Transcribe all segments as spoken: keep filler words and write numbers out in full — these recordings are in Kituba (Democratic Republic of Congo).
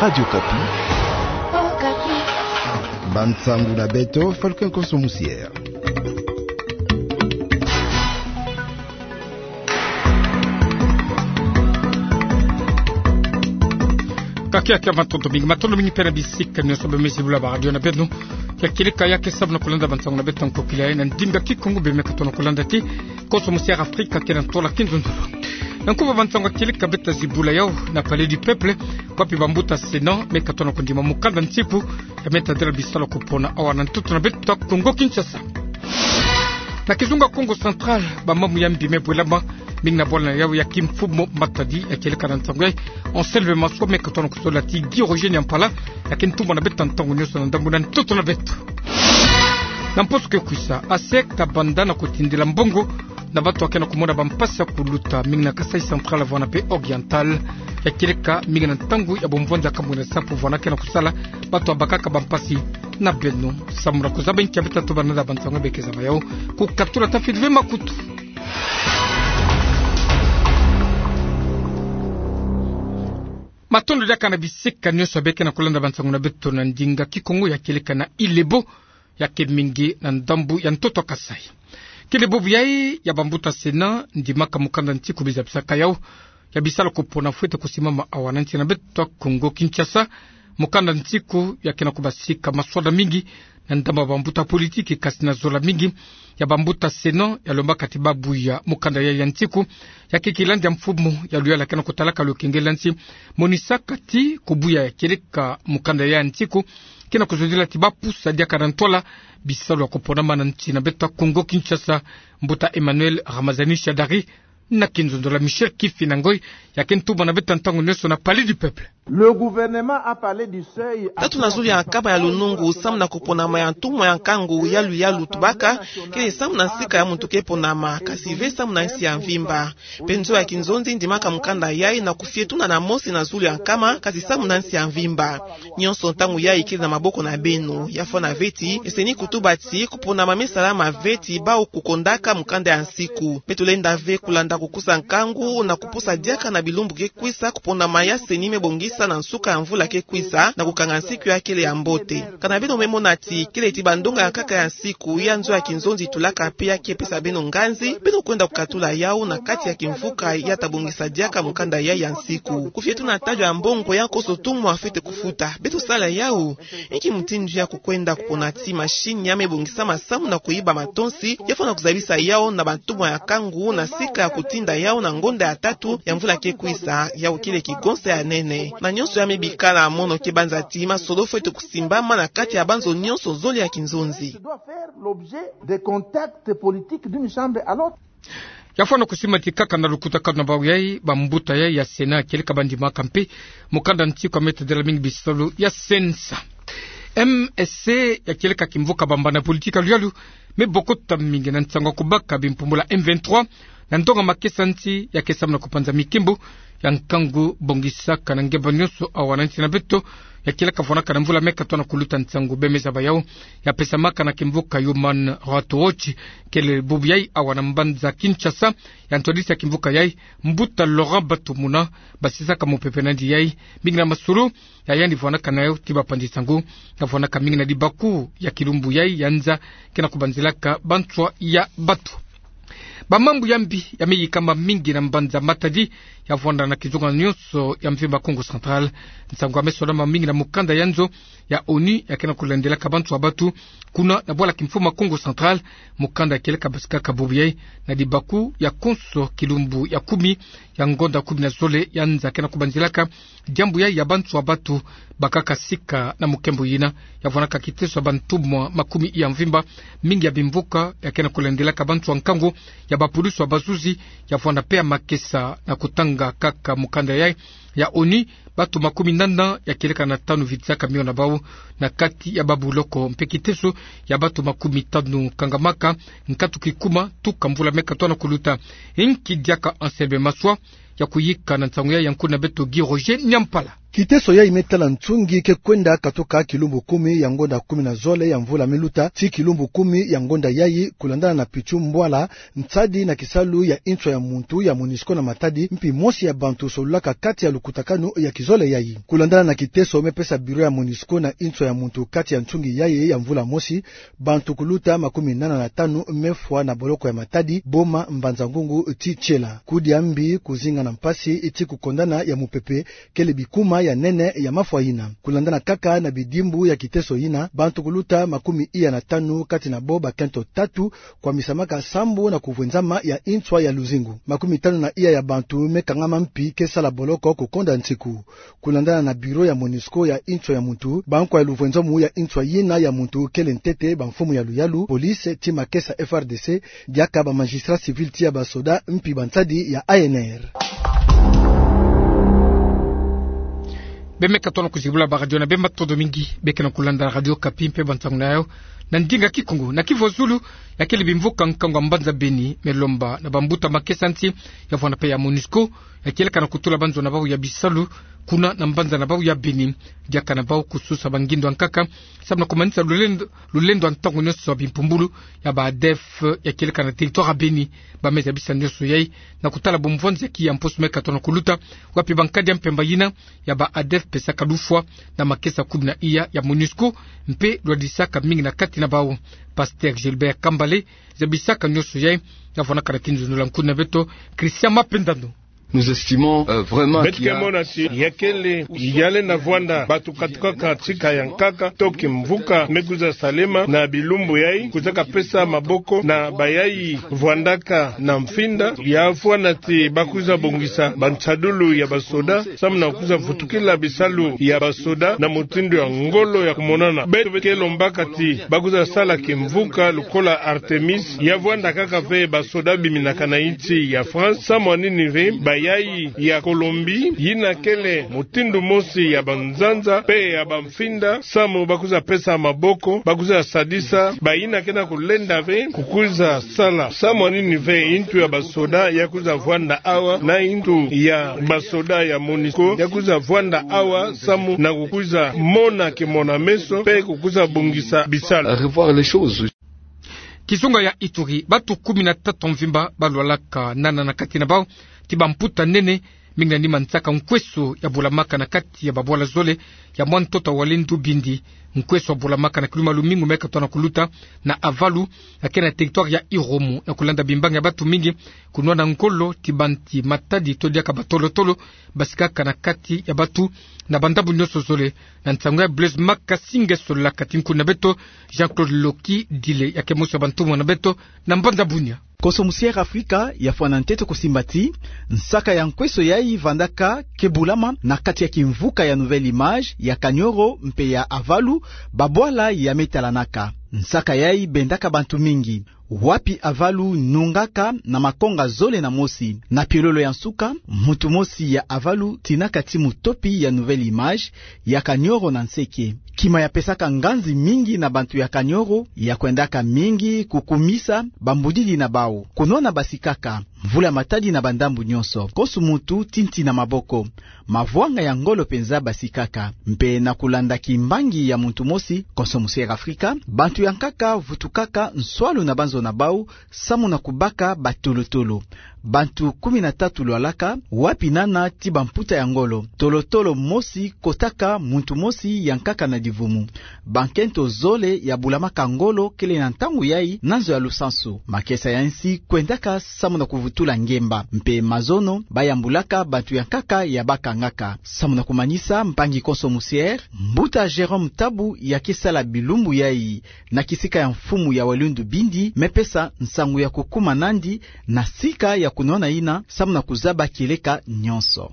Radio Okapi. Bansangu na beto, Falcon Konso Musiere. Kakia kia matondo mingi, matondo mingi mpe na bisika nyonso bemezi bula ba radio na beno. Ya kieleka ya ke samu na kulanda bansangu na beto nkokila ya na ndinga Kikongo, bemeka tona kulanda ti Konso Musiere Afrika kena ntola kinzonzolo. Na nkuba bansangu ya kieleka beta zibula yau na Palais du Peuple, wapi bambuta Sénat meka tona kundima mukanda nsiku ya meta dela bisalu ya kupona awa na ntoto na beto Kongo Kinshasa. Na kizunga Kongo Central, bamambu ya mbi me bwelama, mingi na bwala na yau ya kimfumu Matadi, ya kieleka na ntangu ya Anselme Maswa meka tona kusola ti Guy Roger Nyampala, ya ke ntumwa na beto ntangu nyonso na ndambu na ntoto na beto. Na mposo ke kwisa, ASEC kabanda na kutindila mbongo na bato ya ke na kumona bampasi ya kuluta, mingi na Kasaï Central, vwanda mpe Oriental. Ya kieleka mingi na ntangu ya bomvwanza kamwe na sapu vwanda ke na kusala bato ya bakaka bampasi na beno. Samu na kuzaba nki ya beta tobana na bansangu ya beke zaba yau, kukatula ta Filipe Makutu. Matondo diaka na bisika nyonso ya beke na kulanda bansangu na beto na ndinga Kikongo, ya kieleka na Ilebo, ya ke mingi na ndambu ya ntoto Kasaï. Kele bubu yai ya bambuta Sénat ndimaka mukanda nsiku bizabisaka yau ya bisalu ya kupona fwete kusimama awa na nsi na beto Kongo Kinshasa. Mukanda nsiku ya ke na kubasika maswala mingi na ndambu ya bambuta politiki, kasi na zola mingi ya bambuta Sénat ya lombaka ti babuya mukanda yai ya nsiku. Ya ke kilandi ya mfumu ya luyala ke na kutalaka lukengela nsi, monisaka ti kubuya ya kieleka mukanda yai ya nsiku ke na kuzodila ti bapusa diaka na ntwala bisalu ya kuponama na nsi na beto Kongo Kinshasa. Mbuta Emmanuel Ramazani Shadari na kinzonzolo ya Michel Kifinda Ngoi, ya ke ntumwa na beto ntangu nyonso na Palais du Peuple. Le gouvernement a parlé du seuil. Tatu na zulu ya nkama ya lunungu samu na kuponama ya ntumwa ya nkangu ya luyalu tubaka, kele samu na nsika ya muntu ke ponama, kasi ve samu na nsi ya mvimba. Mpe nzo ya kinzonzi ndimaka mukanda yai na kufietuna na mosi na zulu ya nkama, kasi samu na nsi ya mvimba. Nyonso ntangu yai kele na maboko na beno. Ya fwana ve ti eseni kutuba ti kuponama me salama ve ti bau kukondaka mukanda ya nsiku. Mpe tulenda ve kulanda kukusa nkangu na kupusa diaka na bilumbu ke kwisa kuponama ya seni me bongisa na nsuka ya mvula ke kwisa, na kukanga nsiku ya kele ya mbote. Kana beno me mona ti kele ti bandonga ya nkaka ya nsiku ya nzo ya kinzonzi tulaka mpe ya ke pesa beno nganzi, beno kwenda kukatula yau na kati ya kimvuka ya ta bongisa diaka mukanda yai ya nsiku. Kufietuna tadyo ya mbongo ya nkoso ntumwa fwete kufuta. Beto sala yau. Inki mutindu ya kukwenda kupona ti mashini ya me bongisa masamu na kuyiba matonsi, ya fwana kuzabisa yau na bantumwa ya nkangu na sika ya kutinda yau na ngonda ya tatu ya mvula ke kwisa, yau kele kigonsa ya nene. Na nyonso ya me bikala mono ke banza ti masolo fwete kusimbama na kati ya banzo nyonso zole ya kinzonzi. Doit faire l'objet des contacts politiques d'une chambre à l'autre. Ya fwana kusimbama ti kaka na lukutakanu na bau yai, bambuta yai ya Sénat ya kieleka bandimaka mpe mukanda nsiku ya meta dela mingi bisalu ya sensa. M S C ya kieleka kimvuka bambana politiki ya luyalu me bokota mingi na nsangu ya kubaka bimpumbula M vingt-trois na ndonga makesa nsi ya ke samu na kupanza mikimbu ya nkangu bongisaka na ngemba nyonso awa na nsi na beto. Ya kieleka fwanaka na mvula meka tona kuluta. Nsangu beme zaba yau ya pesamaka na kimvuka Human Rights Watch. Kele bubu yai awa na mbanza Kinshasa, ya ntwadisi ya kimvuka yai, mbuta Laurent Batumuna, basisaka mupepe nandi yai mingi na masolo ya yandi fwanaka na yau ti bapanzi nsangu, ya fwanaka mingi na dibaku ya kilumbu yai ya nza ke na kubanzilaka banswa ya batu. Bamambu ya mbi ya me yikama mingi na mbanza Matadi, ya vwanda na kizunga nyonso ya mvimba Kongo Central. Nsangu ya me solama mingi na mukanda ya nzo ya ONU ya ke na kulandilaka banswa batu kuna na bwala kimfumu Kongo Central. Mukanda ya kieleka basikaka bubu yai na dibaku ya konso kilumbu ya kumi ya ngonda kumi na zole ya nza ke na kubanzilaka diambu yai ya banswa batu bakaka sika na mukembo yina. Ya vwanaka kiteso ya bantumwa makumi ya mvimba, mingi ya bimvuka ya ke na kulandilaka banswa nkangu ya bapulusi ya bazuzi. Ya vwanda mpe ya makesa na kutanga kaka mukanda yai ya ONU, batu makumi nana ya kieleka na tanu vitizaka mio na bau na kati ya babuloko, mpe kiteso ya batu makumi tanu kangamaka nkatu kikuma tuka mvula meka tona kuluta. Inki diaka Anselme Maswa ya kuyika na nsangu yai ya nkuna beto Guy Roger Nyampala. Kiteso yayi me tala nsungi ke kwenda katuka kilumbu kumi ya ngonda kumi na zole ya mvula me luta tii kilumbu kumi ya ngonda yayi, kulandana na pitchu mbwala nsadi na kisalu ya inswa ya muntu ya MONUSCO na Matadi, mpi mosi ya bantu solulaka kati ya lukutakanu ya kizole yayi. Kulandana na kiteso me pesa bureau ya MONUSCO na inswa ya muntu kati ya nsungi yayi ya mvula mosi, bantu kuluta makumi nana na tanu me fwa na boloko ya Matadi, Boma, Mbanza-Ngungu tii Tiela. Kudia mbi, kuzinga na mpasi tii kukondana ya mupepe kele bikuma ya nene ya mafwa yina. Kulandana kaka na bidimbu ya kiteso yina, bantu kuluta makumi iya na tanu, kati na bo bakento tatu, kwamisamaka sambu na kuvwenzama ya inswa ya luzingu. Makumi tanu na iya ya bantu me kangama mpi ke sala boloko kukonda nsiku. Kulandana na bureau ya MONUSCO ya inswa ya muntu, bankwa ya luvwenzamu ya inswa yina ya muntu kele ntete bamfumu ya luyalu, police tii makesa F R D C, diaka ba magistrat civil tii ya basoda mpi bansadi ya A N R. Bemeka tona kuzibula ba radio na bemba, matondo mingi. Beke na kulanda Radio Okapi mpe bansangu na yayo na ndinga Kikongo. Na kivu ya zulu, ya kele bimvuka nkangu ya mbanza Beni, me lomba na bambuta makesa nsi ya vwanda mpe ya MONUSCO ya kieleka na kutula banzo na bau ya bisalu kuna na mbanza na bau ya Beni, diaka na bau kususa bangindu ya nkaka, samu na kumanisa lulendo, lulendo ya ntangu nyonso ya bimpumbulu ya ba ADF ya kieleka na territoire ya Beni. Ba mezi ya bisa nyonso yai, na kutala bumvwanzeki ya mposo meka tona kuluta, wapi bankadi ya mpemba yina ya ba ADF pesaka lufwa na makesa kumi na iya ya MONUSCO, mpe lwadisaka mingi na kati na bau. Pasteur Gilbert Kambale zabisaka nyonso yai, na vwanaka na kinzonzolo nkuna beto, Christian Mapendano. Nous estimons, euh, vraiment qu'il y a... Beto ke mona ti ya kele yale na vwanda bato katukaka tika ya nkaka to kimvuka me kwiza salema na bilumbu yai, kwizaka pesa maboko na bayai vwandaka na mfinda, ya fwana ti ba kwiza bongisa bansadulu ya basoda, samu na kwiza vutukila bisalu ya basoda na mutindu ya ngolo ya kumonana. Beto ke lombaka ti ba kwiza sala kimvuka lokola Artemis, ya vwanda kaka ve basoda biminaka na insi ya France, samu na nini ve bayai ya Colombie, yina kele mutindu mosi ya banzanza mpe ya bamfinda, samu ba kwiza pesa maboko, ba kwiza sadisa bayina ke na kulenda ve kukwiza sala. Samu na nini ve intu ya basoda ya kwiza vwanda awa, na intu ya basoda ya MONUSCO ya kwiza vwanda awa, samu na kukwiza mona kimona-meso mpe kukwiza bongisa bisalu. Revoir les choses. Kizunga ya Ituri, bato kumi na tatu mvimba balwalaka nana na kati na bau ti bamputa nene, mingi na nima nsaka nkweso ya bulamaka na kati ya babwala zole ya mwa ntoto wa Walendu Bindi. Nkweso wa bulamaka na kiluma lumingu meka tona kuluta na Avalu, ya ke na territoire ya Irumu, na kulanda bimbangi ya bato mingi kunwana ngolo ti banti Matadi to diaka batolo-tolo basikaka na kati ya bato na bandambu nyonso zole. Na nsangu ya Blaise Makasinge solaka ti nkuna beto, Jean-Claude Loki Dile, ya ke mosi ya bantumwa na beto na mbanza Bunia. Konso Musiere Afrika ya fwana ntete kusimba ti nsaka ya nkweso yai vandaka ke bulama na kati ya kimvuka ya Nouvelle Image, ya Kanyoro mpe ya Avalu, babwala ya me talanaka. Nsaka yai bendaka bantu mingi. Wapi Avalu nungaka na makonga zole na mosi. Na piololo ya nsuka, muntu mosi ya Avalu tinaka ti mutopi ya Nouvelle Image, ya Kanyoro na nseke. Kima ya pesaka nganzi mingi na bantu ya Kanyoro, ya kwendaka mingi kukumisa bambudidi na bau. Kunwana basikaka, mvula Matadi na bandambu nyonso, konso muntu ti nti na maboko. Mavwanga ya ngolo penza basikaka. Mpe na kulanda kimbangi ya muntu mosi, konso Musiere Afrika, bantu ya nkaka vutukaka nswalu na banzo na bau, samu na kubaka batolo-tolo. Bantu kumi na tatu lwalaka, wapi nana ti bamputa ya ngolo. Tolo-tolo mosi kotaka muntu mosi ya nkaka na divumu. Bankento zole ya bulamaka ngolo kele na ntangu yai na nzo ya lusansu. Makesa ya nsi kwendaka samu na kuvutula ngemba. Mpe mazono bayambulaka bantu ya nkaka ya bakangaka. Samu na kumanisa, mpangi konso Musiere, mbuta Jérôme Tabu ya ke sala bilumbu yai na kisika ya mfumu ya Walendu Bindi, me pesa nsangu ya kukuma nandi na sika ya kunwana yina, samu na kuzaba kieleka nyonso.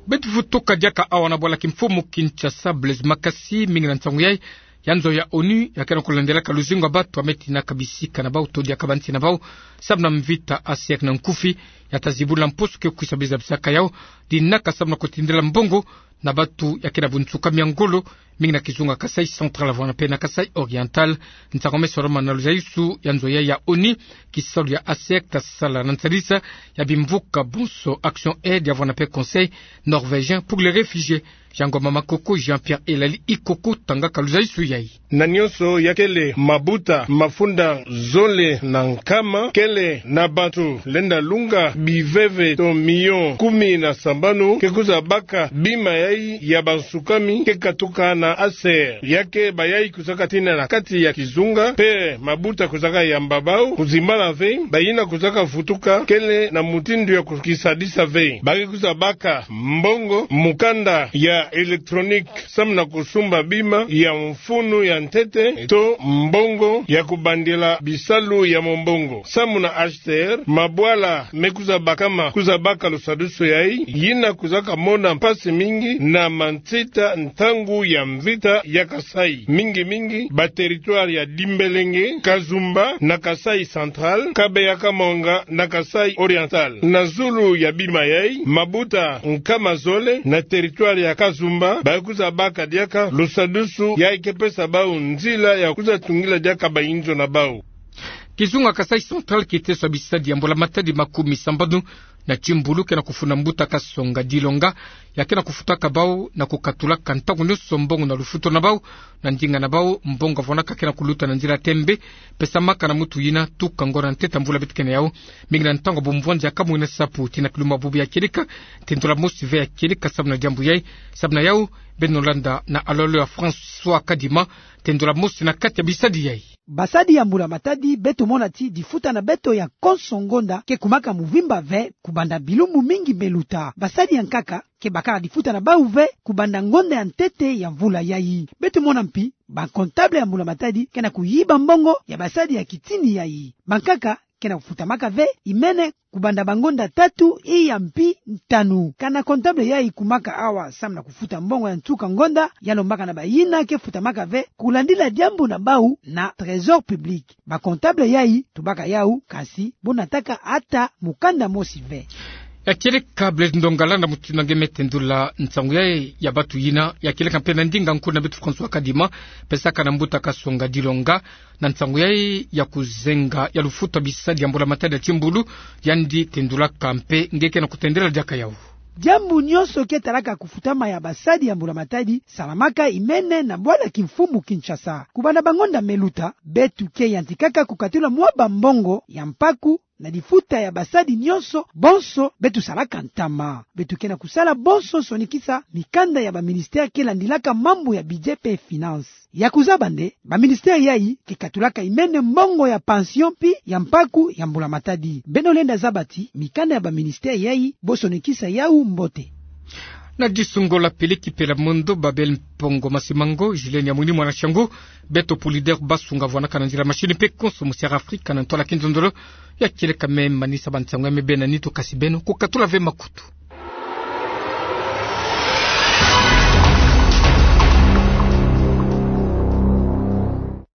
Beto vutuka diaka awa na bwala kimfumu Kinshasa. Blaise Makasi, mingi na nsangu yai ya nzo ya ONU ya ke na kulandelaka luzingu ya bato ya me tinaka bisika na bau to diaka bansi na bau, samu na mvita ya siècle na nkufi, ya ta zibula mposo ke kwisa bizabisaka yau, dinaka samu na kutindila mbongo na bato ya ke na bunsukami ya ngolo, Mingi na kizunga Kasaï Central, vwanda mpe na Kasaï Oriental, nsangu me Solomon na luzaisu ya nzo ya ya ONU, kisalu ya ASER ta sala na nsalisa ya bimvuka bonso Action Aid ya vwanda mpe Conseil Norvégien pour les Réfugiés. Yango mama koko Jean-Pierre Elali Ikoko tangaka luzaisu yai. Na nionso ya kele mabuta mafunda zole na nkama, kele na bantu lenda lunga biveve to miyo kumi na sambanu ke kwiza baka bima yai ya bansukami ke katuka na ASER. Ya ke bayai kwizaka tina na kati ya kizunga, mpe mabuta kwizaka yamba bau kuzimbana ve, bayina kwizaka vutuka kele na mutindu ya kukisadisa ve. Ba ke kwiza baka mbongo, mukanda ya électronique, samu na kusumba bima ya mfunu ya ntete, to mbongo ya kubandila bisalu ya mombongo. Samu na ASER, mabwala me kwiza bakama, kwiza baka lusadusu yai, yina kwizaka mona mpasi mingi na mansita ntangu ya mvita ya Kasaï. Mingi mingi ba territoire ya Dimbelenge, Kazumba na Kasaï Central, Kabeya Kamwanga na Kasaï Oriental. Na zulu ya bima yai, mabuta nkama zole na territoire ya Kazumba ba kwiza baka diaka lusadusu yai ke pesa bau nzila ya kwiza tungila diaka bayinzo na bau. Kizunga Kasaï Central kiteso ya bisadi ya mbula matadi makumi sambanu na timbulu ke na kufuna mbuta Kasonga Dilonga, ya ke na kufutaka bau na kukatulaka ntangu nionso mbongo na lufutu na bau, na ndinga na bau mbongo vwanaka ke na kuluta na nzila tembe, pesamaka na muntu yina tuka ngona ntete mvula beto ke na yau. Mingi na ntangu bumvwanzi ya kamwina sapu tina kilumbu bubu ya kieleka, tendula mosi ve ya kieleka samu na diambu yai. Samu na yau, beno landa na alolo ya François Kadima, tendula mosi na kati ya bisadi yai. Basadi ya mbula matadi, beto mona ti difuta na beto ya konso ngonda ke kumaka muvimba ve kubanda bilumbu mingi me luta. Basadi ya nkaka ke bakala difuta na bau ve kubanda ngonda ya ntete ya mvula yai. Beto mona mpi ba comptable ya mbula matadi ke na kuyiba mbongo ya basadi ya kitini yai. Bankaka ke na kufutamaka ve imene kubanda bangonda tatu iya mpi ntanu. Kana comptable yai kumaka awa samu na kufuta mbongo ya nsuka ngonda, ya lombaka na bayina ke futamaka ve kulandila diambu na bau na trésor public. Ba comptable yai tubaka yau, kasi bo nataka ata mukanda mosi ve. Ya kieleka Blaise Ndongala na mutindu nge me tendula nsangu yai ya bantu yina, ya kieleka mpe na ndinga nkuna beto François Kadima, pesaka na mbuta Kasonga Dilonga, na nsangu yai ya kuzenga ya lufutu ya bisadi ya mbula matadi ya timbulu, yandi tendulaka mpe nge ke na kutendela diaka yau. Diambu nionso ke talaka kufutama ya basadi ya mbula matadi salamaka imene na bwala kimfumu Kinshasa. Kubanda bangonda me luta, beto ke yantikaka kukatula mwa bambongo ya mpaku na difuta ya basadi nionso bonso beto salaka ntama. Beto ke na kusala bonso sonikisa mikanda ya ba ministère ke landilaka mambu ya budget mpe finance. Ya kuzaba nde, ba ministère yai ke katulaka imene mbongo ya pension mpi ya mpaku ya mbula matadi. Beno lenda zaba ti mikanda ya ba ministère yai bo sonikisa yau mbote. Na disungo la Peleki Pela Mondo, Babel Mpongo Masimango, Julien Nyamwini mwana Shangu, Beto Pulider Basunga vwanaka na nzila machine mpe konso musi ya Afrika na ntwala kinzonzolo. Ya kieleka me manisa ba nsangu ya me bena nitu, kasi beno kukatula ve makutu.